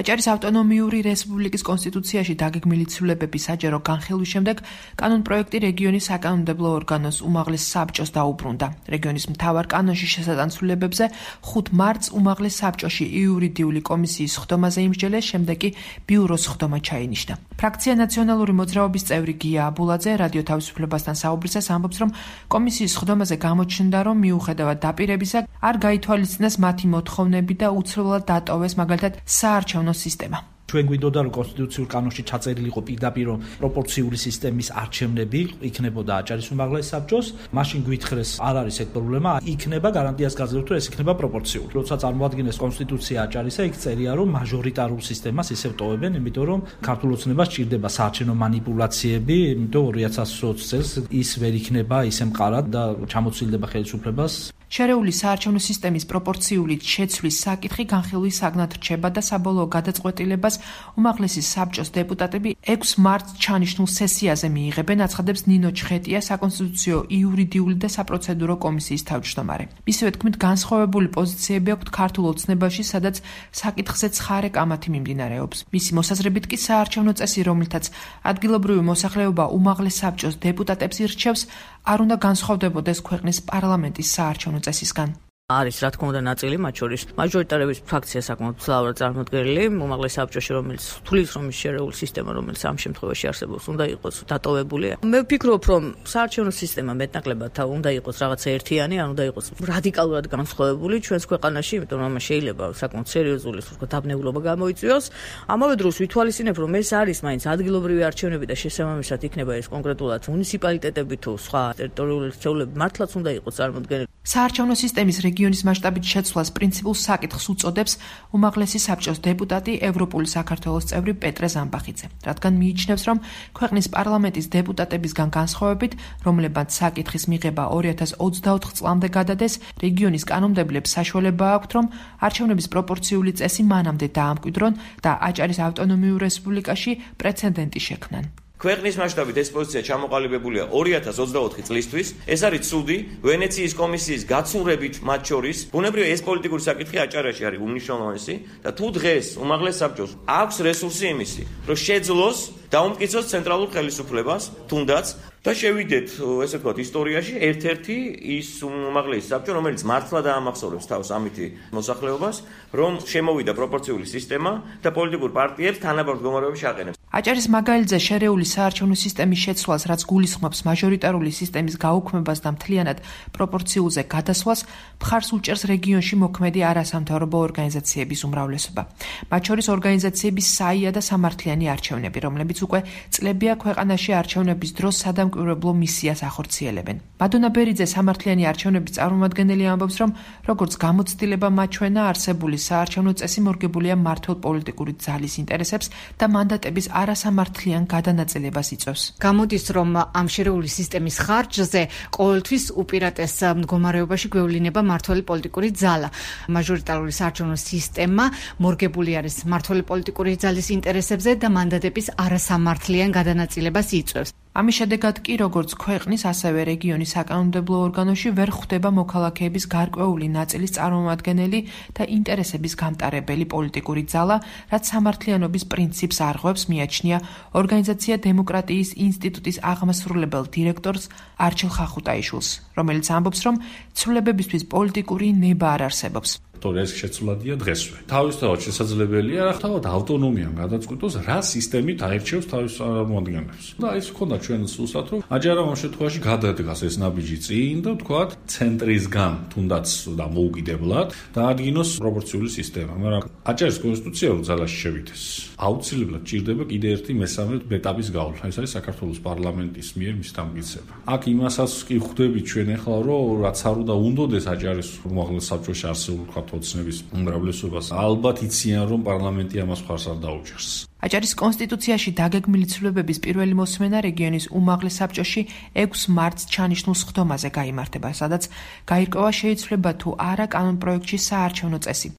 აჭარის ავტონომიური რესპუბლიკის კონსტიტუციაში დაგეგმილი ცვლილებების საჯარო განხილვის შემდეგ კანონპროექტი რეგიონის საკანონმდებლო ორგანოს უმაღლეს საბჭოს დაუბრუნდა. რეგიონის მთავარ კანონში შესატან ცვლილებებზე 5 მარტს უმაღლეს საბჭოში იურიდიული კომისიის ხდომაზე იმსჯელეს, შემდეგ კი ბიუროს ხდომა ჩაინიშნა. ფრაქცია ნაციონალური მოძრაობის წევრი გია აბულაძე რადიო თავისუფლებასთან საუბრისას ამბობს, რომ კომისიის ხდომაზე გამოჩნდა, რომ მიუხედავად დაპირებისა არ გაითვალისწინეს მათი მოთხოვნები და უცვლელად დატოვეს მაგალითად საარჩევნო სისტემა. ჩვენ გვინდოდა რომ კონსტიტუციურ კანონში ჩაწერილი იყო პირდაპირ პროპორციული სისტემის არჩევნები იქნებოდა აჭარის უმაღლეს საბჭოს, მაშინ გვითხრეს არ არის ეგ პრობლემა, იქნება გარანტიას გაძლევთ რომ ეს იქნება პროპორციული. როცა წარმოადგენეს კონსტიტუცია აჭარისა, იქ წერია რომ მაჟორიტარულ სისტემას ისევ ტოვებენ, იმიტომ რომ ქართულ ოცნებას სჭირდება საარჩევნო манипуляციები, იმიტომ 2020 წელს ის ვერ იქნება ისე მყარად და ჩამოცილდება ხელისუფლებას. შერეული საარჩევნო სისტემის პროპორციული შეცვლის საკითხი განხილვის საგნად რჩება და საბოლოო გადაწყვეტილებას უმაღლესი საბჭოს დეპუტატები 6 მარტს ჩანიშნულ სესიაზე მიიღებენ, აცხადებს ნინო ჩხეტია, საკონსტიტუციო, იურიდიული და საპროცედურო კომისიის თავმჯდომარე. მისივე თქმით, განსხვავებული პოზიციები აქვთ ქართულ ოცნებაში, სადაც საკითხზე ცხარე კამათი მიმდინარეობს. მისი მოსაზრებით კი საარჩევნო წესი, რომლითაც ადგილობრივი მოსახლეობა უმაღლეს საბჭოს დეპუტატებს ირჩევს, არ უნდა განსხვავდებოდეს ქვეყნის პარლამენტის საარჩევნო წესისგან. არის რა თქმა უნდა ნაწილი, მათ შორის მაჟორიტარების ფრაქცია საკმაოდ მძლავრად წარმოდგენილი, უმაღლეს საბჭოში, რომელიც თulis რომ ის შერეული სისტემა, რომელიც ამ შემთხვევაში არსებობს, უნდა იყოს დატოვებული. მე ვფიქრობ, რომ საარჩევნო სისტემა მეტნაკლებად უნდა იყოს რაღაცა ერთიანი, ან უნდა იყოს რადიკალურად განსხვავებული ჩვენს ქვეყანაში, იმიტომ რომ შეიძლება საკმაოდ სერიოზული დაბნეულობა გამოიწვიოს. ამავე დროს ვითვალისწინებ, რომ ეს არის მაინც ადგილობრივი არჩევნები და შესაბამისად იქნება ეს კონკრეტულად მუნიციპალიტეტები თუ სხვა ტერიტორიული ერთეულები მართლაც უნდა იყოს წარმოდგენილი. საარჩევნო სისტემის რეგიონის მასშტაბით შეცვლას პრინციპულ საკითხს უწოდებს უმაღლესი საბჭოს დეპუტატი ევროპული საქართველოს წევრი პეტრე ზამბახიძე, რადგან მიიჩნევს, რომ ქვეყნის პარლამენტის დეპუტატებისგან განსხვავებით, რომლებმაც საკითხის მიღება 2024 წლამდე გადადეს, რეგიონის კანონმდებლებს საშუალება აქვთ, რომ არჩევნების პროპორციული წესი მანამდე დაამკვიდრონ და აჭარის ავტონომიურ რესპუბლიკაში პრეცედენტი შექმნან. ქვეყნის მასშტაბით ეს პოზიცია ჩამოყალიბებულია 2024 წლისთვის. ეს არის ცუდი ვენეციის კომისიის გაცურებით მათ შორის. ბუნებრივია ეს პოლიტიკური საკითხი აჭარაში არის უმნიშვნელოვანესი და თუ დღეს უმაღლეს საბჭოს აქვს რესურსი იმისი, რომ შეძლოს დაუმტკიცოს ცენტრალურ ხელისუფლებას, თუნდაც და შევიდეთ, ესე ვთქვათ, ისტორიაში ერთ-ერთი ის უმაღლესი საბჭო, რომელიც მართლა დაამახსოვრებს თავს ამითი მოსახლეობას, რომ შემოვიდა პროპორციული სისტემა და პოლიტიკურ პარტიებს თანაბარ მდგომარეობაში აყენებს. აჭარის მაგალითზე შერეული საარჩევნო სისტემის შეცვლას, რაც გულისხმობს მაჟორიტარული სისტემის გაუქმებას და მთლიანად პროპორციულზე გადასვლას, მხარს უჭერს რეგიონში მოქმედი არასამთავრობო ორგანიზაციების უმრავლესობა. მათ შორის ორგანიზაციების საია და სამართლიანი არჩევნები, რომლებიც უკვე წლებია ქვეყანაში არჩევნების დროს სადამკვირვებლო მისიას ახორციელებენ. მადონა ბერიძე სამართლიანი არჩევნების წარმომადგენელი ამბობს, რომ როგორც გამოცდილება მაჩვენა, არსებული საარჩევნო წესი მორგებულია მმართველ პოლიტიკური ძალის ინტერესებს და მანდატების არასამართლიან გადანაწილებას იწვევს. გამოდის, რომ ამ შერეული სისტემის ხარჯზე ყოველთვის უპირატეს მდგომარეობაში გვევლინება მმართველი პოლიტიკური ძალა. მაჟორიტარული საარჩევნო სისტემა მორგებული არის მმართველი პოლიტიკური ძალის ინტერესებზე და მანდატების არასამართლიან გადანაწილებას იწვევს. ამის შედეგად კი როგორც ქვეყნის, ასევე რეგიონის საკანონმდებლო ორგანოში ვერ ხვდება მოქალაქეების გარკვეული ნაწილის წარმომადგენელი და ინტერესების გამტარებელი პოლიტიკური ძალა, რაც სამართლიანობის პრინციპს არღვევს, მიაჩნია ორგანიზაცია დემოკრატიის ინსტიტუტის აღმასრულებელ დირექტორს არჩილ ხახუტაიშვილს, რომელიც ამბობს, რომ ცვლილებებისთვის პოლიტიკური ნება არ არსებობს. ეს შეცვლადია დღესვე. თავისთავად შესაძლებელია თავად ავტონომიამ გადაწყვიტოს, რა სისტემით აირჩევს თავის წარმომადგენლებს. და ეს ქონდა ჩვენ სულსაც, რომ აჯარამ ამ შემთხვევაში გადადგას ეს ნაბიჯი წინ და თქვათ ცენტრისგან თუნდაც და მოუკიდებლად დაადგინოს პროპორციული სისტემა. მაგრამ აჭარის კონსტიტუცია რო ძალაში შევიდეს, აუცილებლად ჭირდება კიდე ერთი მესამე ეტაპის გავლა. ეს არის საქართველოს პარლამენტის მიერ მის დამტკიცება. აქ იმასაც კი ხვდები ჩვენ ახლა, რომ რაც არ უნდა უნდოდეს აჭარის უმაღლეს საბჭოში არსებული ოცნების უმრავლესობას, ალბათ იციან, რომ პარლამენტი ამას მხარს არ დაუჭერს. აჭარის კონსტიტუციაში დაგეგმილი ცვლილებების პირველი მოსმენა რეგიონის უმაღლეს საბჭოში 6 მარტს ჩანიშნულ სხდომაზე გაიმართება, სადაც გაირკვევა შეიცვლება თუ არა კანონპროექტში საარჩევნო წესი.